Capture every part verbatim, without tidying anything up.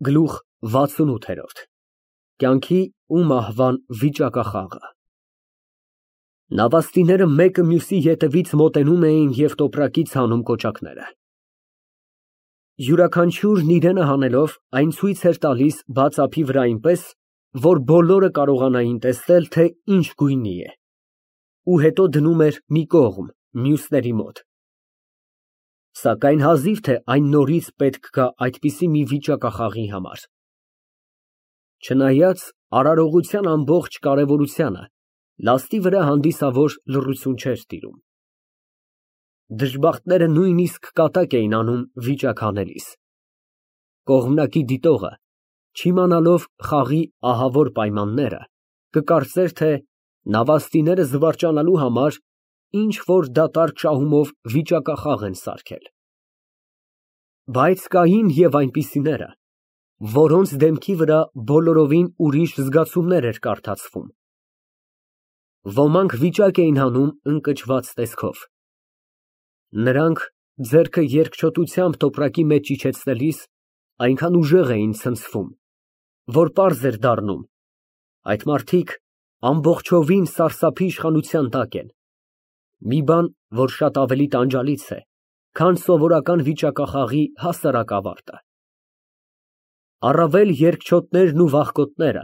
Գլուխ վաթսունութ Կյանքի ու մահվան վիճակախաղը Նավաստիները մեկը մյուսի ետևից մոտենում էին և տոպրակից հանում կոճակները։ Յուրաքանչյուրն իրենը հանելով, այն ցույց էր տալիս բաց ափի վրա այնպես, որ բոլորը կարողանային տեսնել, թե ինչ գույնի է, ու հետո դնում էր մի կողմ, մյուսների մոտ։ Սակայն հազիվ թե այն նորից պետք գա այդպիսի մի վիճակախաղի համար։ Չնայած արարողության ամբողջ կարևորությանը, լաստի վրա հանդիսավոր լռություն չէր տիրում։ Դժբախտները նույնիսկ կատակ էին անում վիճակ հանելիս։ Կողմնակի դիտողը, չիմանալով խաղի ահավոր պայմանները, կկարծեր, թե նավաստիները զվարճանալու համար ինչ֊որ դատարկ շահումով վիճակախաղ են սարքել։ Բայց կային և այնպիսիները, որոնց դեմքի վրա բոլորովին ուրիշ զգացումներ էր կարդացվում։ Ոմանք վիճակ էին հանում ընկճված տեսքով։ Նրանք, ձեռքը երկչոտությամբ տոպրակի մեջ իջեցնելիս, այնքան ուժեղ էին ցնցվում, որ պարզ էր դառնում, այդ մարդիկ ամբողջովին սարսափի իշխանության տակ են, մի բան, որ շատ ավելի տանջալից է, քան սովորական վիճակախաղի հասարակ ավարտը։ Առավել երկչոտներն ու վախկոտները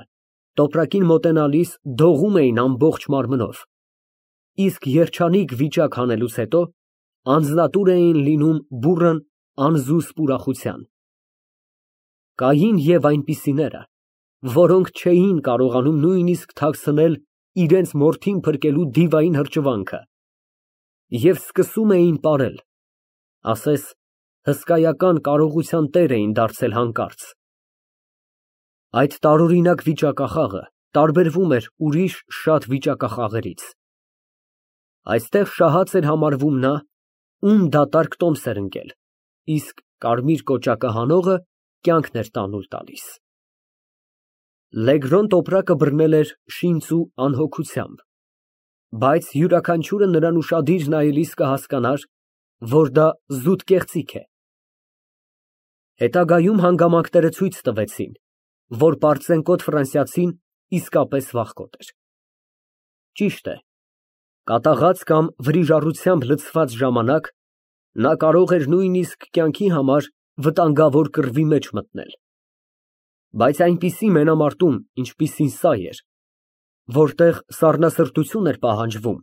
տոպրակին մոտենալիս դողում էին ամբողջ մարմնով, իսկ երջանիկ վիճակ հանելուց հետո անձնատուր էին լինում բուռն, անզուսպ ուրախության։ Կային և այնպիսիները, որոնք չէին կարողանում նույնիսկ թաքցնել իրենց մորթին փրկելու դիվային հրճվանքը և սկսում էին պարել, ասես հսկայական կարողության տեր էին դարձել հանկարծ։ Այդ տարօրինակ վիճակախաղը տարբերվում էր ուրիշ շատ վիճակախաղերից։ Այստեղ շահած էր համարվում նա, ում դատարկ տոմս էր ընկել, իսկ կարմիր կոճակը հանողը կյանքն էր տանուլ տալիս։ Լեգրոն տոպրակը բռնել էր շինծ ու անհոգությամբ, բայց յուրաքանչյուրը նրան ուշադիր նայելիս կհասկանար, որ դա զուտ կեղծիք է։ Հետագայում հանգամանքները ցույց տվեցին, որ պարծենկոտ ֆրանսիացին իսկապես վախկոտ էր։ Ճիշտ է, կատաղած կամ վրիժառությամբ լցված ժամանակ նա կարող էր նույնիսկ կյանքի համար վտանգավոր կռվի մեջ մտնել։ Բայց այնպիսի մենամարտում, ինչպիսին սա էր, որտեղ սառնասրտություն էր պահանջվում,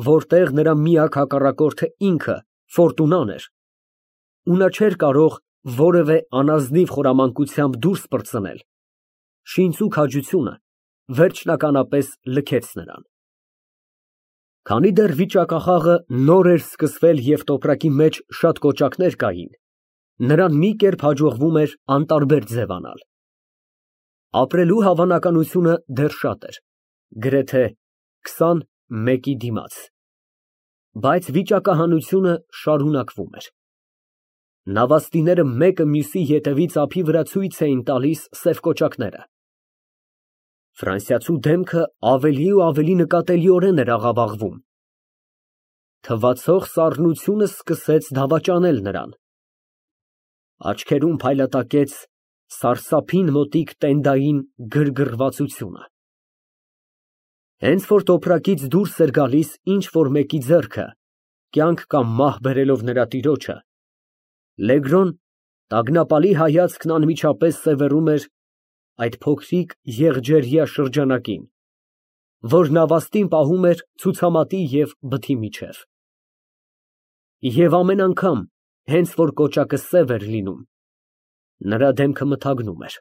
որտեղ նրա միակ հակառակորդը ինքը ֆորտունան էր, ու նա չէր կարող որևէ անազնիվ խորամանկությամբ դուրս պրծնել, շինծու քաջությունը վերջնականապես լքեց նրան։ Քանի դեռ վիճակախաղը նոր էր սկսվել և տոպրակի մեջ շատ կոճակներ կային, նրան մի կերպ հաջողվում էր անտարբեր ձևանալ։ Ապրելու հավանականությունը դեռ շատ էր, գրեթե քսան մեկի դիմաց, բայց վիճակահանությունը շարունակվում էր։ Նավաստիները մեկը մյուսի ետևից ափի վրա ցույց էին տալիս սև կոճակները։ Ֆրանսիացու դեմքը ավելի ու ավելի նկատելիորեն էր աղավաղվում։ Թվացող սառնությունը սկսեց դավաճանել նրան։ Աչքերում փայլատակեց սարսափին մոտիկ տենդային գրգռվածությունը։ Հենց որ տոպրակից դուրս էր գալիս ինչ֊որ մեկի ձեռքը, կյանք կամ մահ բերելով նրա տիրոջը, Լեգրոն տագնապալի հայացքն անմիջապես սևեռում էր այդ փոքրիկ եղջերյա շրջանակին, որ նավաստին պահում էր ցուցամատի և բթի միջև։ Եվ ամեն անգամ, հենց որ կոճակը սև էր լինում, նրա դեմքը մթագնում էր։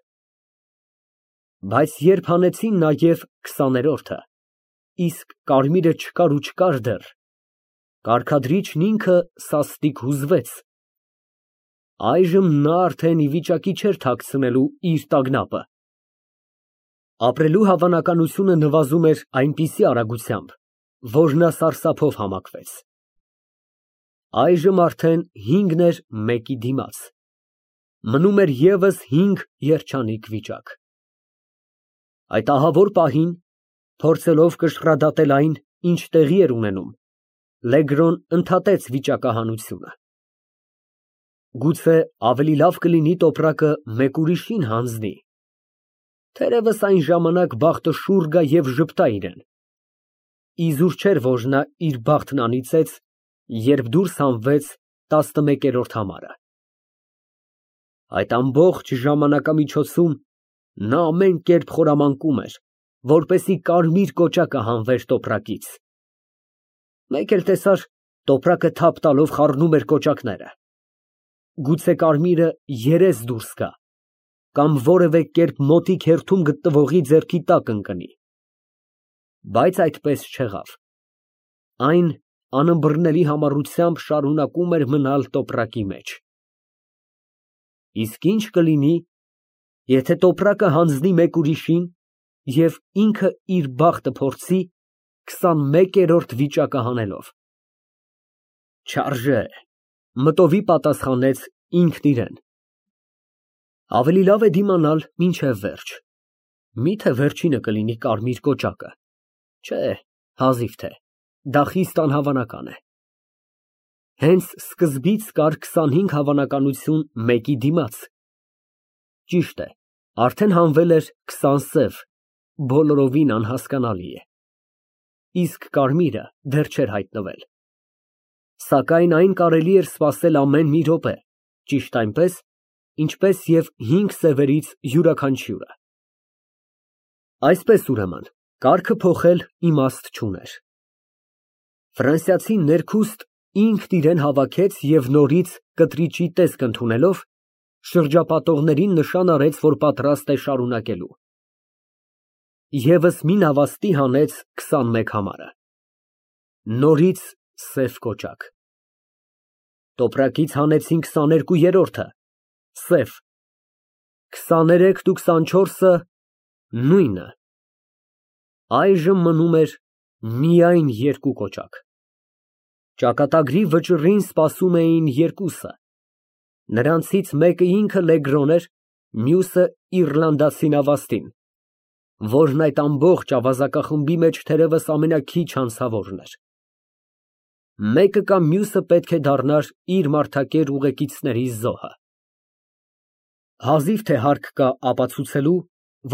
Բայց երբ հանեցին նաև քսաներորդը, իսկ կարմիրը չկար ու չկար դեռ, կարգադրիչն ինքը սաստիկ հուզվեց։ Այժմ նա արդեն ի վիճակի չէր թաքցնելու իր տագնապը։ Ապրելու հավանականությունը նվազում էր այնպիսի արագությամբ, որ նա սարսափով համակվեց։ Այժմ արդեն հինգն էր մեկի դիմաց, մնում էր ևս հինգ երջանիկ վիճակ։ Այդ ահավոր պահին, փորձելով կշռադատել այն, ինչ տեղի էր ունենում, Լեգրոն ընդհատեց վիճակահանությունը։ Գուցե ավելի լավ կլինի տոպրակը մեկ ուրիշին հանձնի։ Թերևս այն ժամանակ բախտը շուռ գա և ժպտա իրան։ Իզուր չէր, որ նա իր բախտն անիծեց, երբ դուրս հանվեց տասնմեկերորդ համարը։ Այդ ամբողջ ժամանակամիջոցում նա ամեն կերպ խորամանկում էր, որպեսզի կարմիր կոճակը հանվեր տոպրակից։ Մեկ էլ տեսար, տոպրակը թափ տալով խառնում էր կոճակները։ Գուցե կարմիրը երես դուրս գա, կամ որևէ կերպ մոտիկ հերթում գտնվողի ձեռքի տակ ընկնի։ Բայց այդպես չեղավ։ Այն անըմբռնելի համառությամբ շարունակում էր մնալ տոպրակի մեջ։ Իսկ ի՞նչ կլինի, եթե տոպրակը հանձնի մեկ ուրիշին և ինքը իր բախտը փորձի քսանմեկերորդ վիճակը հանելով։ Չարժե, մտովի պատասխանեց ինքն իրան։ Ավելի լավ է դիմանալ մինչև վերջ։ Միթե վերջինը կլինի կարմիր կոճակը։ Չէ, հազիվ թե, դա խիստ անհավանական է։ Հենց սկզբից կար քսանհինգ հավանականություն մեկի դիմաց։ Ճիշտ է, արդեն հանվել էր քսան սև, բոլորովին անհասկանալի է։ Իսկ կարմիրը դեռ չէր հայտնվել։ Սակայն այն կարելի էր սպասել ամեն մի րոպե, ճիշտ այնպես, ինչպես և հինգ սևերից յուրաքանչյուրը։ Այսպես ուրեմն, կարգը փոխել իմաստ չուներ։ Ֆրանսիացին ներքուստ ինքն իրան հավաքեց և նորից կտրիճի տեսք ընդունելով, շրջապատողներին նշան արեց, որ պատրաստ է շարունակելու։ Եվս մի նավաստի հանեց քսանմեկ համարը։ Նորից սև կոճակ։ Տոպրակից հանեցին քսաներկուերորդը, սև, քսաներեքն ու քսանչորսը նույնը։ Այժմ մնում էր միայն երկու կոճակ։ Ճակատագրի վճռին սպասում էին երկուսը։ Նրանցից մեկը ինքը Լեգրոն էր, մյուսը իռլանդացի նավաստին, որն այդ ամբողջ ավազակախմբի մեջ թերևս ամենաքիչ անցավորն էր։ Մեկը կամ մյուսը պետք է դառնար իր մարդակեր ուղեկիցների զոհը։ Հազիվ թե հարկ կա ապացուցելու,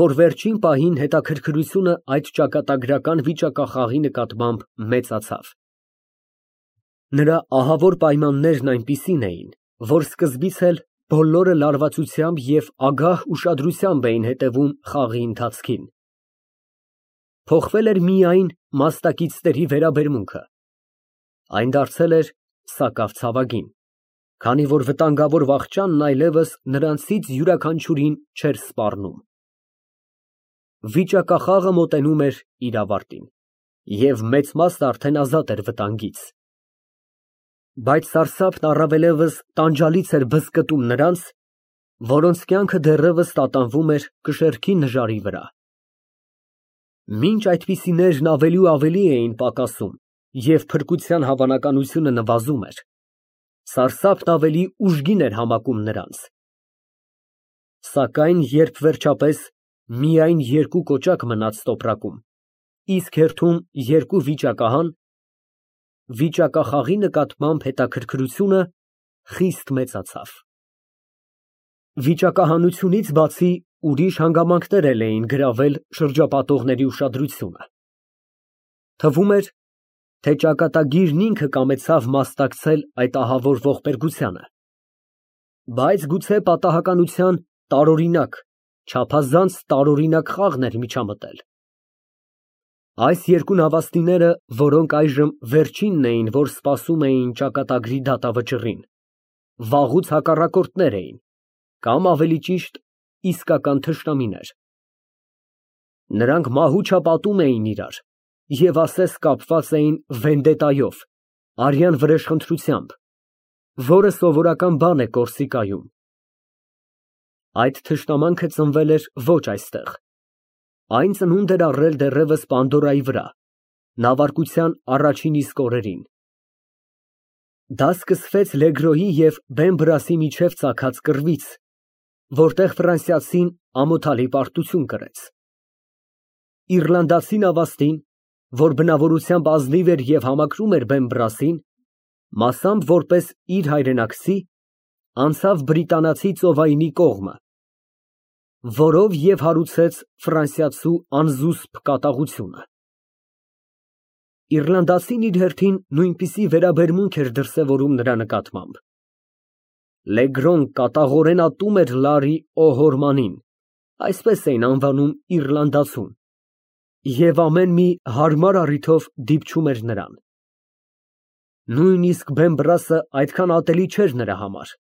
որ վերջին պահին հետաքրքրությունը այդ ճակատագրական վիճակախաղի նկատմամբ մեծացավ։ Նրա ահավոր պայմաններն այնպիսին էին, որ սկզբից էլ բոլորը լարվածությամբ և ագահ ուշադրությամբ էին հետևում խաղի ընթացքին։ Փոխվել էր միայն մասնակիցների վերաբերմունքը։ Այն դարձել էր սակավ ցավագին, քանի որ վտանգավոր վախճանն այլևս նրանցից յուրաքանչյուրին չէր սպառնում։ Վիճակախաղը մոտենում էր իր ավարտին, և մեծ մասն արդեն ազատ էր վտանգից։ Բայց սարսափն առավելևս տանջալից էր բզկտում նրանց, որոնց կյանքը դեռևս տատանվում էր կշեռքի նժարի վրա։ Մինչ այդպիսիներն ավելի ու ավելի էին պակասում և փրկության հավանականությունը նվազում էր, սարսափն ավելի ուժգին էր համակում նրանց։ Սակայն երբ վերջապես միայն երկու կոճակ մնաց տոպրակում, իսկ հերթում երկու վիճակահան, վիճակախաղի նկատմամբ հետաքրքրությունը խիստ մեծացավ։ Վիճակահանությունից բացի ուրիշ հանգամանքներ էլ էին գրավել շրջապատողների ուշադրությունը։ Թվում էր, թե ճակատագիրն ինքը կամեցավ մասնակցել այդ ահավոր ողբերգությանը։ Բայց գուցե պատահականության տարօրինակ, չափազանց տարօրինակ խաղն էր միջամտել։ Այս երկու նավաստիները, որոնք այժմ վերջինն էին, որ սպասում էին ճակատագրի դատավճռին, վաղուց հակառակորդներ էին, կամ ավելի ճիշտ, իսկական թշնամիներ։ Նրանք մահուչապատում էին իրար և ասես կապված էին վենդետայով, արյան վրեժխնդրությամբ, որը սովորական բան է Կորսիկայում։ Այդ թշնամանքը ծնվել էր ոչ այստեղ, այն ծնունդ էր առել դեռևս Պանդորայի վրա, նավարկության առաջին իսկ օրերին։ Դա սկսվեց Լեգրոյի և Բեմբրասի միջև ծագած կռվից, որտեղ ֆրանսիացին ամոթալի պարտություն կրեց։ Իռլանդացի նավաստին, որ բնավորությամբ ազնիվ էր և համակրում էր Բեմբրասին, մասամբ որպես իր հայրենակցի, անցավ բրիտանացի ծովայինի կողմը, որով և հարուցեց ֆրանսիացու անզուսպ կատաղությունը։ Իռլանդացին իր հերթին նույնպիսի վերաբերմունք էր դրսևորում նրա նկատմամբ։ Լեգրոն կատաղորեն ատում էր Լարի Օ'Հորմանին, այսպես էին անվանում իռլանդացուն, և ամեն մի հարմար առիթով դիպչում էր նրան։ Նույնիսկ Բեմբրասը այդքան ատելի չէր նրա համար։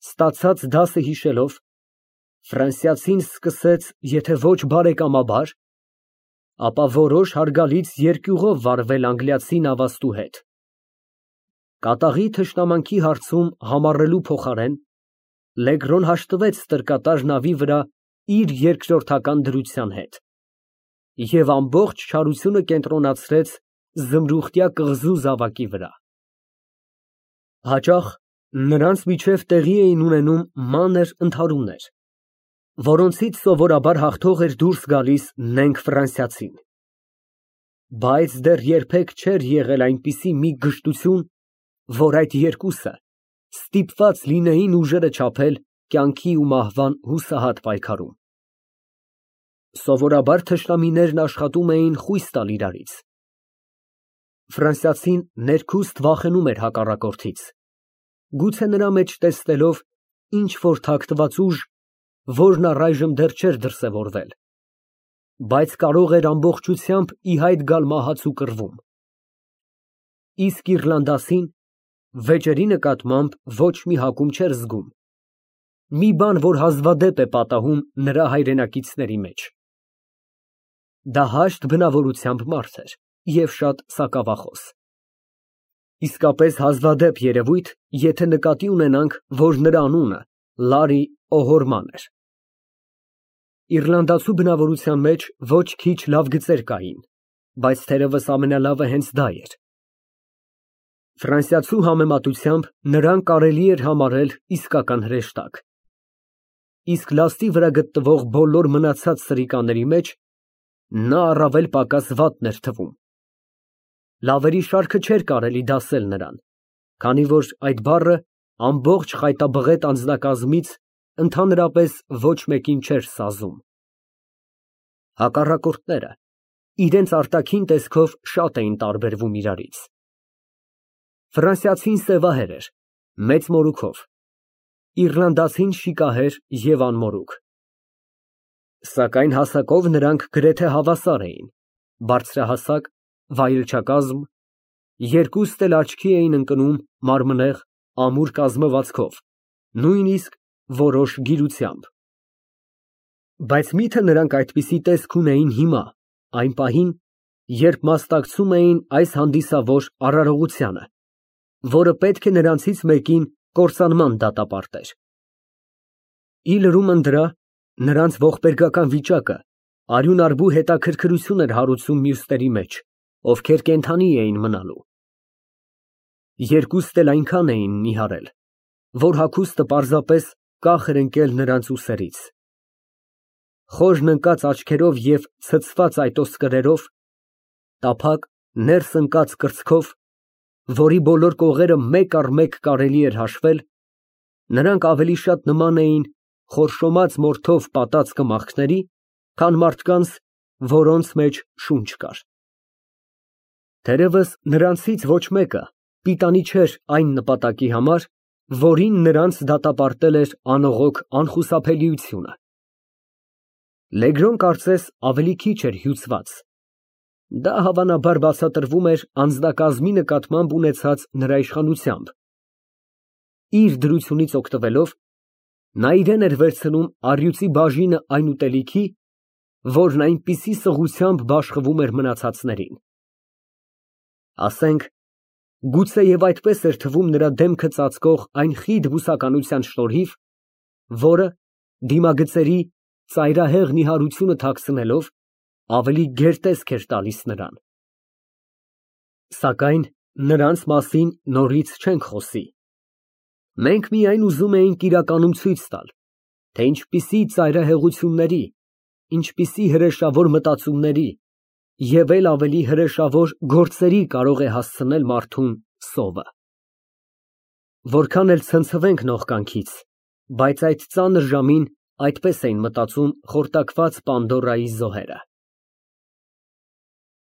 Ստացած դասը հիշելով, ֆրանսիացին սկսեց եթե ոչ բարեկամաբար, ապա որոշ հարգալից երկյուղով վարվել անգլիացի նավաստու հետ։ Կատաղի թշնամանքի հարցում համառելու փոխարեն Լեգրոն հաշտվեց ստրկատար նավի վրա իր երկրորդական դրության հետ և ամբողջ չարությունը կենտրոնացրեց զմրուխտյա կղզու զավակի վրա։ Հաճախ նրանց միջև տեղի էին ունենում մանր ընդհարումներ, որոնցից սովորաբար հաղթող էր դուրս գալիս նենգ ֆրանսիացին։ Բայց դեռ երբեք չէր եղել այնպիսի մի գժտություն, որ այդ երկուսը ստիպված լինեին ուժերը չափել կյանքի ու մահվան հուսահատ պայքարում։ Սովորաբար թշնամիներն աշխատում էին խույս տալ իրարից։ Ֆրանսիացին ներքուստ վախենում էր հակառակորդից, գուցե նրա մեջ տեսնելով ինչ֊որ թաքնված ուժ, որն առայժմ դեռ չէր դրսևորվել, բայց կարող էր ամբողջությամբ ի հայտ գալ մահացու կռվում։ Իսկ իռլանդացին վեճերի նկատմամբ ոչ մի հակում չէր զգում, մի բան, որ հազվադեպ է պատահում նրա հայրենակիցների մեջ։ Դա հաշտ բնավորությամբ մարդ էր և շատ սակավախոս։ Իսկապես հազվադեպ երևույթ, եթե նկատի ունենանք, որ նրա անունը Լարի Օ'Հորման էր։ Իռլանդացու բնավորության մեջ ոչ քիչ լավ գծեր կային, բայց թերևս ամենալավը հենց դա էր։ Ֆրանսիացու համեմատությամբ նրան կարելի էր համարել իսկական հրեշտակ։ Իսկ լաստի վրա գտնվող բոլոր մնացած սրիկաների մեջ նա առավել պակաս վատն էր թվում։ Լավերի շարքը չէր կարելի դասել նրան, քանի որ այդ բառը ամբողջ խայտաբղետ անձնակազմից ընդհանրապես ոչ մեկին չէր սազում։ Հակառակորդները իրենց արտաքին տեսքով շատ էին տարբերվում իրարից։ Ֆրանսիացին սևահեր էր, մեծ մորուքով, իռլանդացին շիկահեր և անմորուք։ Սակայն հասակով նրանք գրեթե հավասար էին, բարձրահասակ, վայելչակազմ, երկուստ էլ աչքի էին ընկնում մարմնեղ, ամուր կազմվածքով, նույնիսկ որոշ գիրությամբ։ Բայց մի՞թե նրանք այդպիսի տեսք ունեին հիմա, այն պահին, երբ մասնակցում էին այս հանդիսավոր արարողությանը, որը պետք է նրանցից մեկին կործանման դատապարտեր։ Ի լրումն դրա, նրանց ողբերգական վիճակը արյունարբու հետաքրքրություն էր հարուցում մյուսների մեջ, ովքեր կենդանի էին մնալու։ Երկուստ էլ այնքան էին նիհարել, որ հագուստը պարզապես կախ էր ընկել նրանց ուսերից։ Խորն ընկած աչքերով և ցցված այտոսկրերով, տափակ, ներս ընկած կրծքով, որի բոլոր կողերը մեկ առ մեկ կարելի էր հաշվել, նրանք ավելի շատ նման էին խորշոմած մորթով պատած կմախքների, քան մարդկանց, որոնց մեջ շունչ կար։ Թերևս նրանցից ոչ մեկը պիտանի չէր այն նպատակի համար, որին նրանց դատապարտել էր անողոք անխուսափելիությունը։ Լեգրոն կարծես ավելի քիչ էր հյուծված։ Դա հավանաբար բացատրվում էր անձնակազմի նկատմամբ ունեցած նրա իշխանությամբ։ Իր դրությունից օգտվելով, նա իրեն էր վերցնում առյուծի բաժինը այն ուտելիքի, որն այնպիսի սղությամբ բաշխվում էր մնացածներին։ Ասենք, գուցեև այդպես էր թվում նրա դեմքը ծածկող այն խիտ բուսականության շնորհիվ, որը, դիմագծերի ծայրահեղ նիհարությունը թաքցնելով, ավելի գերտեսք էր տալիս նրան։ Սակայն նրանց մասին նորից չենք խոսի։ Մենք միայն ուզում էինք իրականում ցույց տալ, թե ինչպիսի ծայրահեղությունների, ինչպիսի հրեշավոր մտածումների և էլ ավելի հրեշավոր գործերի կարող է հասցնել մարդուն սովը։ Որքան էլ ցնցվենք նողկանքից, բայց այդ ծանր ժամին այդպես էին մտածում խորտակված Պանդորայի զոհերը։